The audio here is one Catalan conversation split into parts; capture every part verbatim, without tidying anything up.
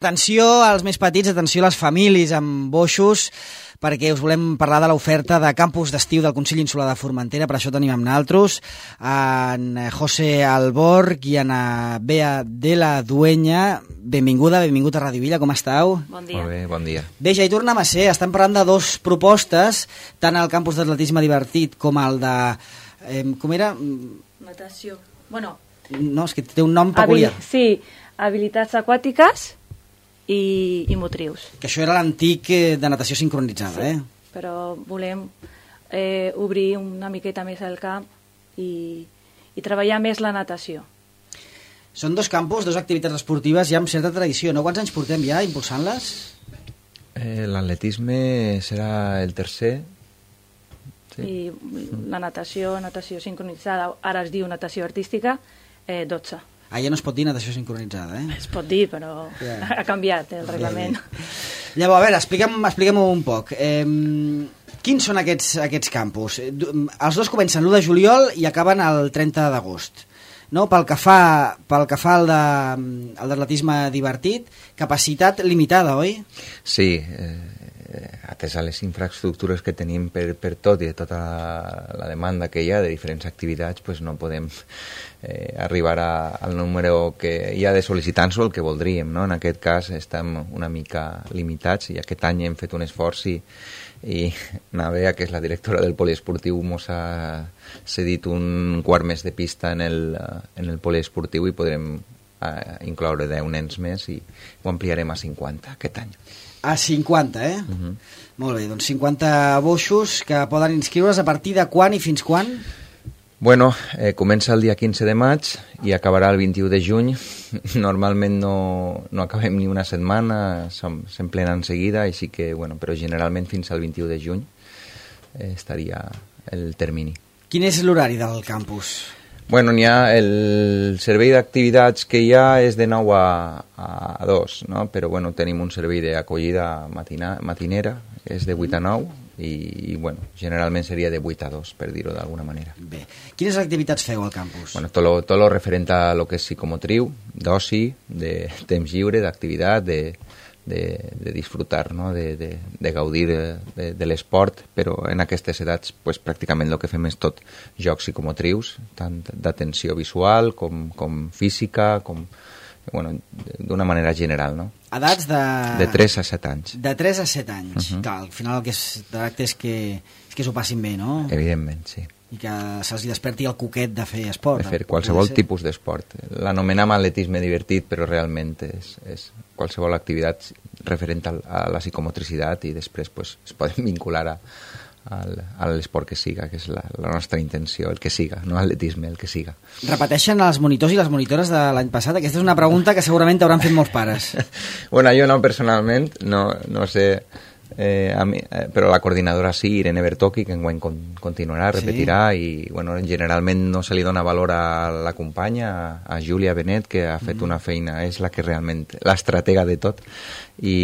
Atenció als més petits, atenció a les famílies amb boixos, perquè us volem parlar de l'oferta de campus d'estiu del Consell Insular de Formentera. Per això tenim amb naltros en José Alborg i en Bea de la Dueña. Benvinguda, benvingut a Ràdio Villa, com estàu? Bon dia. Molt bé, bon dia. Bé, ja hi tornem a ser. Estem parlant de dos propostes, tant el campus d'atletisme divertit com el de... Eh, com era? Natació. Bueno... No, és que té un nom peculiar. Habil... Sí, habilitats aquàtiques i, i motrius. Que això era l'antic eh, de natació sincronitzada, sí, eh? Però volem eh, obrir una miqueta més el camp i, i treballar més la natació. Són dos campus, dues activitats esportives ja amb certa tradició, no? Quants anys portem ja impulsant-les? Eh, L'atletisme serà el tercer. Sí. I la natació, natació sincronitzada, ara es diu natació artística, eh, dotze. Ah, ja no es pot dir natació sincronitzada, eh? Es pot dir, però ja. ha canviat el reglament. Ja, ja. Llavors, a veure, explica'm, explica'm un poc. Eh, quins són aquests, aquests campus? Els dos comencen l'u de juliol i acaben el trenta d'agost. No? Pel que fa, pel que fa al de, d'atletisme divertit, capacitat limitada, oi? Sí, eh, atès a les infraestructures que tenim per, per tot i de tota la, la demanda que hi ha de diferents activitats, pues no podem eh, arribar a, al número que hi ha de sol·licitants o el que voldríem, no? En aquest cas estem una mica limitats i aquest any hem fet un esforç i, i Navea, que és la directora del poliesportiu, mos ha cedit un quart més de pista en el, en el poliesportiu i podrem eh, incloure deu nens més i ho ampliarem a cinquanta aquest any. A cinquanta, eh? Uh-huh. Molt bé, doncs cinquanta boixos que poden inscriure's a partir de quan i fins quan? Bueno, eh, comença el dia quinze de maig i acabarà el vint-i-u de juny. Normalment no, no acabem ni una setmana, s'emplena en seguida, així que, bueno, però generalment fins al vint-i-u de juny eh, estaria el termini. Quin és l'horari del campus? Bueno, n'hi ha el servei d'activitats que hi ha és de nou a, a dos, no? Però bueno, tenim un servei d'acollida matina, matinera, és de vuit a nou i, i bueno, generalment seria de vuit a dos, per dir-ho d'alguna manera. Bé. Quines activitats feu al campus? Bueno, tot lo, tot lo referent a lo que és psicomotriu, d'oci, de temps lliure, d'activitat, de, de, de disfrutar, no? de, de, de gaudir de, de l'esport, però en aquestes edats pues, pràcticament el que fem és tot jocs psicomotrius, tant d'atenció visual com, com física, com, bueno, d'una manera general, no? Edats de... De tres a set anys. De tres a set anys. Uh-huh. Clar, al final el que es tracta és que, és que s'ho passin bé, no? Evidentment, sí. I que se'ls desperti el coquet de fer esport. De fer qualsevol tipus d'esport. L'anomenem atletisme divertit, però realment és, és qualsevol activitat referent a, a la psicomotricitat i després pues, es poden vincular a, a, a l'esport que siga, que és la, la nostra intenció, el que siga, no atletisme, el que siga. Repeteixen els monitors i les monitores de l'any passat? Aquesta és una pregunta que segurament t'hauran fet molts pares. Bueno, jo no personalment, no, no sé... Eh, a mi, eh, però la coordinadora sí, Irene Bertocchi, que enguany con, continuarà, repetirà, sí. I bueno, generalment no se li dona valor a la companya, a, a Júlia Benet, que ha fet mm. una feina, és la que realment, l'estratega de tot, i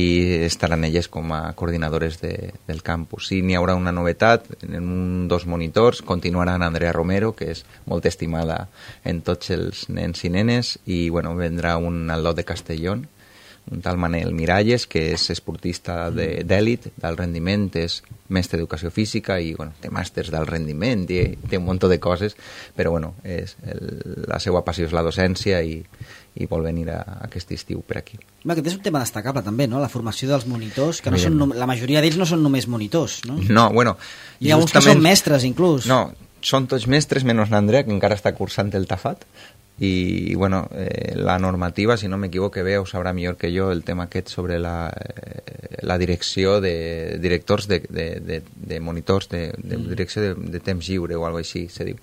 estaran elles com a coordinadores de, del campus. Sí, n'hi haurà una novetat, en un dos monitors continuaran Andrea Romero, que és molt estimada en tots els nens i nenes, i bueno, vendrà un Alot de Castellón, un tal Manel Miralles, que és esportista d'èlit, de, del rendiment, és mestre d'educació física i bueno, té màsters del rendiment, i té un munt de coses, però bueno, és el, la seva passió és la docència i, i vol venir a, a aquest estiu per aquí. Bé, aquest és un tema destacable també, no? La formació dels monitors, que no són, la majoria d'ells no són només monitors, no? No, bueno... Hi ha uns que són mestres, inclús. No, són tots mestres, menys l'Andrea, que encara està cursant el Tafat, i bueno, eh, la normativa, si no m'equivoco, bé, ho sabrà millor que jo el tema aquest sobre la, eh, la direcció de directors de, de, de, de monitors de, de direcció de, de temps lliure o alguna cosa així se diu.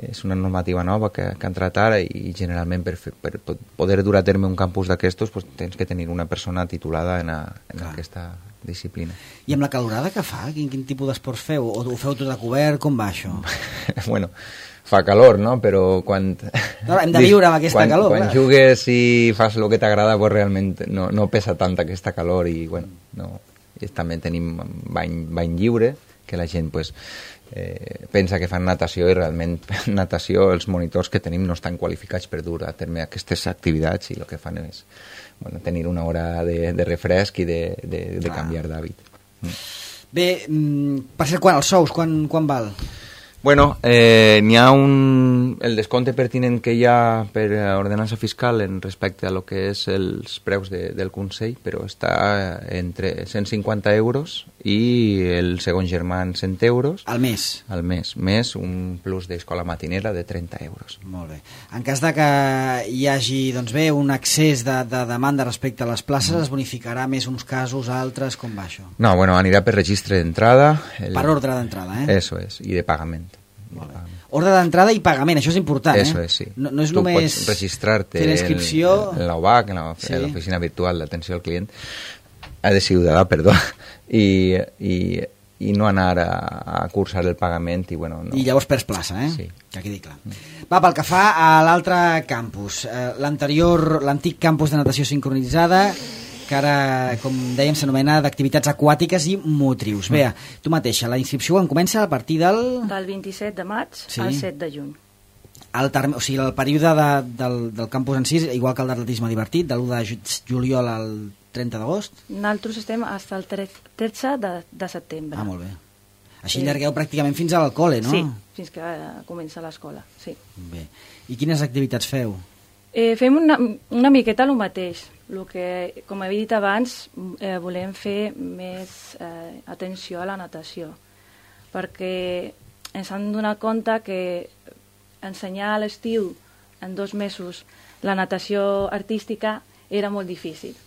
És una normativa nova que, que han entrat ara i generalment per, fer, per poder dur a terme un campus d'aquestos pues, tens que tenir una persona titulada en, a, en aquesta disciplina. I amb la calorada que fa? Quin, quin tipus d'esports feu? O ho feu tot a cobert? Com va això? Bueno, fa calor, no? Però quan... No, hem de viure amb aquesta quan, calor. Quan clar. Jugues i fas el que t'agrada, pues realment no, no pesa tant aquesta calor i, bueno, no, i també tenim bany, bany lliure que la gent pues, eh, pensa que fan natació i realment natació els monitors que tenim no estan qualificats per dur a terme aquestes activitats i el que fan és bueno, tenir una hora de, de refresc i de, de, de canviar d'hàbit. Mm. Bé, per ser quan els sous, quan, quan val? Bueno, eh, n'hi ha un, el descompte pertinent que hi ha per ordenança fiscal en respecte a lo que és els preus de, del Consell, però està entre cent cinquanta euros i el segon germà en cent euros. Al mes? Al mes, més un plus d'escola matinera de trenta euros. Molt bé. En cas de que hi hagi doncs bé, un excés de, de demanda respecte a les places, mm. es bonificarà més uns casos, altres, com va això? No, bueno, anirà per registre d'entrada. El... Per ordre d'entrada, eh? Eso és, i de pagament. Ordre d'entrada i pagament, això és important, Eso eh? es, sí. No, no és tu només pots registrar-te en, en l'O B A C, en l'oficina sí. virtual d'atenció al client, de ciutadà, perdó, i, i, i no anar a, a cursar el pagament. I, bueno, no. I llavors perds plaça, eh? Sí. Que quedi clar. Va, pel que fa a l'altre campus, eh, l'anterior, l'antic campus de natació sincronitzada, que ara, com dèiem, s'anomena d'activitats aquàtiques i motrius. Mm. Bé, tu mateixa, la inscripció en comença a partir del... Del vint-i-set de maig sí. al set de juny. El, term... o sigui, el període de, del, del campus en si, igual que el d'atletisme divertit, de l'u de juliol al trenta d'agost? Nosaltres estem fins al tretze de, de setembre. Ah, molt bé. Així sí. Llargueu pràcticament fins al col·le, no? Sí, fins que comença l'escola, sí. Bé. I quines activitats feu? Eh, fem una, una miqueta el mateix. El que, com he dit abans, eh, volem fer més eh, atenció a la natació, perquè ens hem donat compte que ensenyar a l'estiu en dos mesos la natació artística era molt difícil.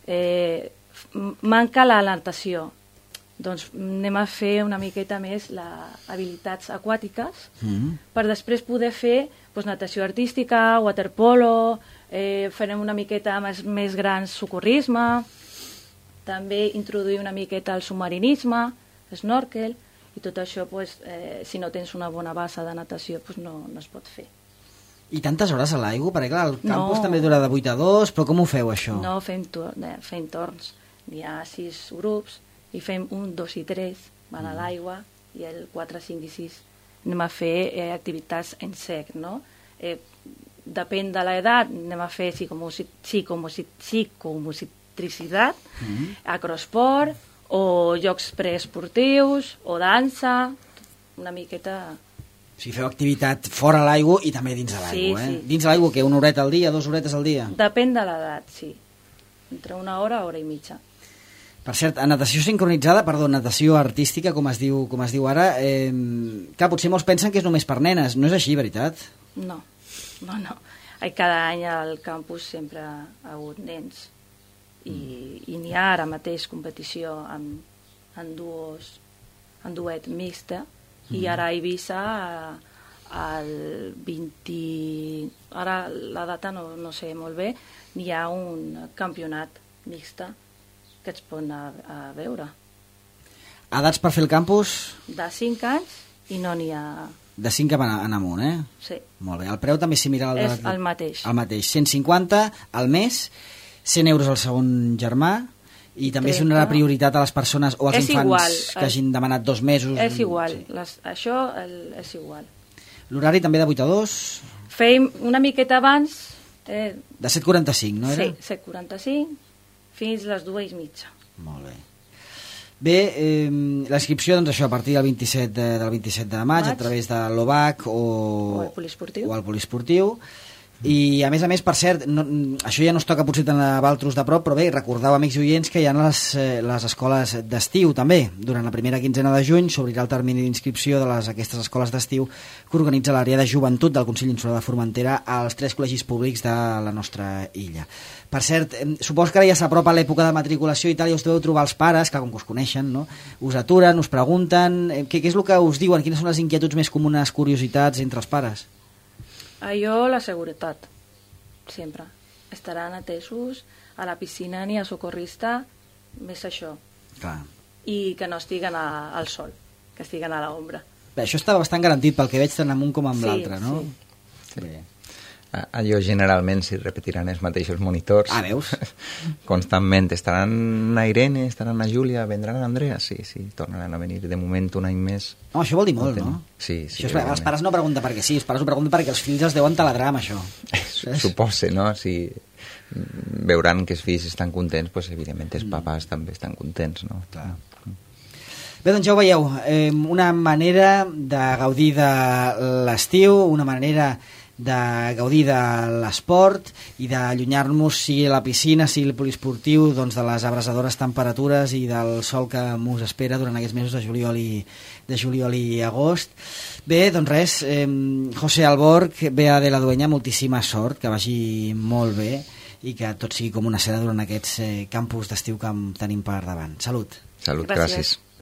Eh, manca la natació, doncs anem a fer una miqueta més les habilitats aquàtiques mm. per després poder fer doncs, natació artística, waterpolo, eh, farem una miqueta més, més grans socorrisme, també introduir una miqueta el submarinisme, snorkel, i tot això, doncs, eh, si no tens una bona base de natació, doncs no, no es pot fer. I tantes hores a l'aigua? Perquè clar, el campus no. també dura de vuit a dos, però com ho feu això? No, fem, tor eh, fem torns. N'hi ha sis grups, i fem un, dos i tres, van a l'aigua, i el quatre, cinc i sis anem a fer eh, activitats en sec, no? Eh, depèn de l'edat, anem a fer psicomotricitat, mm-hmm. acrosport, o jocs preesportius, o dansa, una miqueta... O sigui, feu activitat fora l'aigua i també dins de l'aigua, sí, eh? Sí. Dins de l'aigua, què? Una horeta al dia, dues horetes al dia? Depèn de l'edat, sí. Entre una hora, hora i mitja. Per cert, a natació sincronitzada, perdó, natació artística, com es diu, com es diu ara, eh, clar, potser molts pensen que és només per nenes. No és així, veritat? No, no, no. Cada any al campus sempre ha hagut nens. I, i n'hi ha ara mateix competició en, en, duos, en duet mixta. Mm. I ara a Eivissa, el vint... Ara la data no, no sé molt bé, n'hi ha un campionat mixta que es pot anar a veure. Edats per fer el campus? De cinc anys i no n'hi ha... De cinc en, en amunt, eh? Sí. Molt bé. El preu també és similar al... És el mateix. El mateix. cent cinquanta al mes, cent euros al segon germà, i també es donarà prioritat a les persones o als és infants igual, que hagin demanat dos mesos. És igual. Sí. Les, això el, és igual. L'horari també de vuit a dos? Feim una miqueta abans... Eh, de set quaranta-cinc, no era? Sí, set quaranta-cinc, fins les dues i mitja. Molt bé. Bé, eh, la inscripció, doncs això, a partir del vint-i-set de, del vint-i-set de maig, maig, a través de l'O B A C o, o el poliesportiu. O el poliesportiu. I a més a més, per cert, no, això ja no es toca potser tant a Valtros de prop, però bé, recordeu, amics i oients, que hi ha les, eh, les escoles d'estiu també. Durant la primera quinzena de juny s'obrirà el termini d'inscripció de les, aquestes escoles d'estiu que organitza l'àrea de joventut del Consell Insular de Formentera als tres col·legis públics de la nostra illa. Per cert, eh, supos que ara ja s'apropa l'època de matriculació i tal, i us deveu trobar els pares, que com que us coneixen, no? Us aturen, us pregunten, eh, què, què és el que us diuen, quines són les inquietuds més comunes, curiositats entre els pares? Allò, la seguretat, sempre. Estaran atesos a la piscina ni a socorrista, més això. Clar. I que no estiguen a, al sol, que estiguen a l'ombra. Bé, això està bastant garantit pel que veig tant amunt com amb sí, l'altre, no? Sí. Sí. allò generalment s'hi repetiran els mateixos monitors. Ah, veus? Constantment. Estaran a Irene, estaran a Júlia, vendran a Andrea? Sí, sí, tornaran a venir de moment un any més. No, això vol dir molt, no? Sí, sí. Això és, els pares no pregunten per què sí, els pares ho pregunten perquè els fills els deuen taladrar amb això. Supose, no? Si veuran que els fills estan contents, doncs evidentment els papàs mm. també estan contents, no? Clar. Bé, doncs ja ho veieu, eh, una manera de gaudir de l'estiu, una manera de gaudir de l'esport i d'allunyar-nos, sigui a la piscina, sigui el poliesportiu, doncs de les abrasadores temperatures i del sol que mos espera durant aquests mesos de juliol i, de juliol i agost. Bé, doncs res, eh, José Alborch, Bea de la Dueña, moltíssima sort, que vagi molt bé i que tot sigui com una seda durant aquests eh, campus d'estiu que tenim per davant. Salut. Salut, gràcies. gràcies.